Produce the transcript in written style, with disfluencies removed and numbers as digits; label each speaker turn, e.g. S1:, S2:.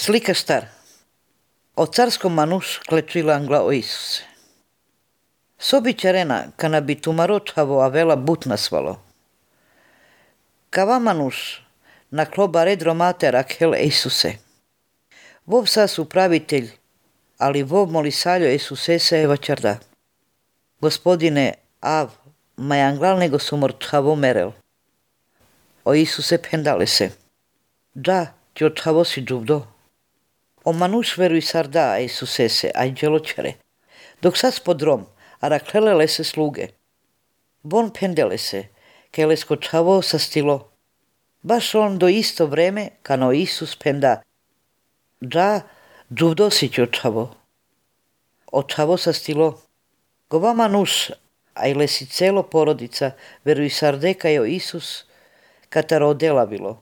S1: Slika star. O carskom manuš klečila angla o Isuse. Sobića rena, kana bi tumaročavo a vela but nasvalo. Kava manuš, na kloba redro mater akhel Isuse. Vov sas upravitelj, ali vov molisaljo Isusesa eva čarda. Gospodine, av, majanglal nego sumorčavo merel. O Isuse pendale se. Da, ti očavo si džuvdo. O manuš veruj sarda a Isusese, aj dželočere. Dok sas podrom, araklelele se sluge. Bon pendele se, kele skočavo sa stilo. Baš on do isto vreme, kano Isus penda. Da, džuvdo si ti očavo. Očavo sa stilo. Gova manuš, aj lesi celo porodica, veruj sarde kajo Isus, kataro odela bilo.